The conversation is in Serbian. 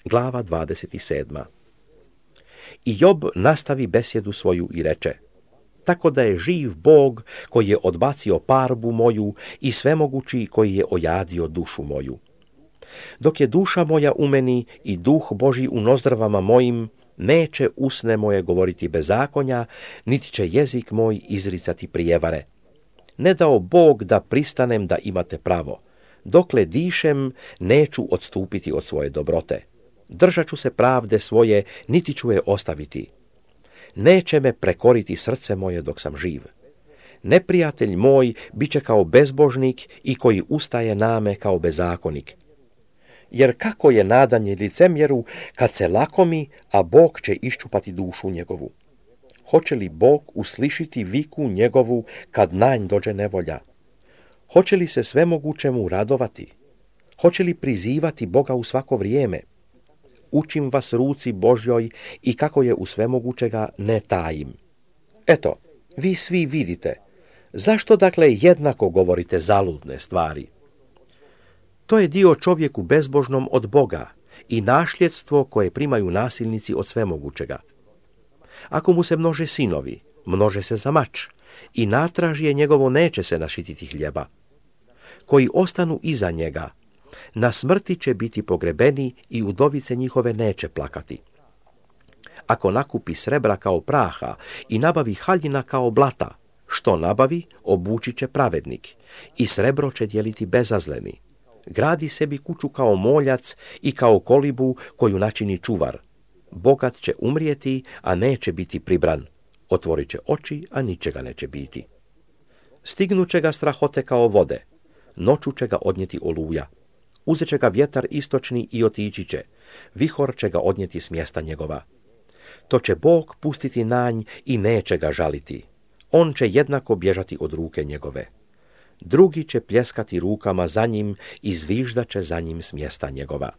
Glava 27. I Job nastavi besjedu svoju i reče: tako da je živ Bog koji je odbacio parbu moju i svemogući koji je ojadio dušu moju. Dok je duša moja u meni i duh Božji u nozdrvama mojim, neće usne moje govoriti bezakonja, niti će jezik moj izricati prijevare. Ne dao Bog da pristanem da imate pravo. Dokle dišem, neću odstupiti od svoje dobrote. Držat ću se pravde svoje, niti ću je ostaviti. Neće me prekoriti srce moje dok sam živ. Neprijatelj moj bit će kao bezbožnik i koji ustaje name kao bezakonik. Jer kako je nadanje licemjeru kad se lakomi, a Bog će iščupati dušu njegovu? Hoće li Bog uslišiti viku njegovu kad nanj dođe nevolja? Hoće li se svemogućemu radovati? Hoće li prizivati Boga u svako vrijeme? Učim vas ruci Božjoj i kako je u svemogućega ne tajim. Eto, vi svi vidite. Zašto dakle jednako govorite zaludne stvari? To je dio čovjeku bezbožnom od Boga i nasljedstvo koje primaju nasilnici od svemogućega. Ako mu se množe sinovi, množe se za mač i natražje njegovo neće se našititi hljeba. Koji ostanu iza njega, na smrti će biti pogrebeni i udovice njihove neće plakati. Ako nakupi srebra kao praha i nabavi haljina kao blata, što nabavi, obući će pravednik i srebro će dijeliti bezazleni. Gradi sebi kuću kao moljac i kao kolibu koju načini čuvar. Bogat će umrijeti, a neće biti pribran. Otvorit će oči, a ničega neće biti. Stignut će ga strahote kao vode. Noću će ga odnijeti oluja. Uzet će ga vjetar istočni i otići će. Vihor će ga odnijeti s mjesta njegova. To će Bog pustiti nanj i neće ga žaliti. On će jednako bježati od ruke njegove. Drugi će pljeskati rukama za njim i zviždat će za njim s mjesta njegova.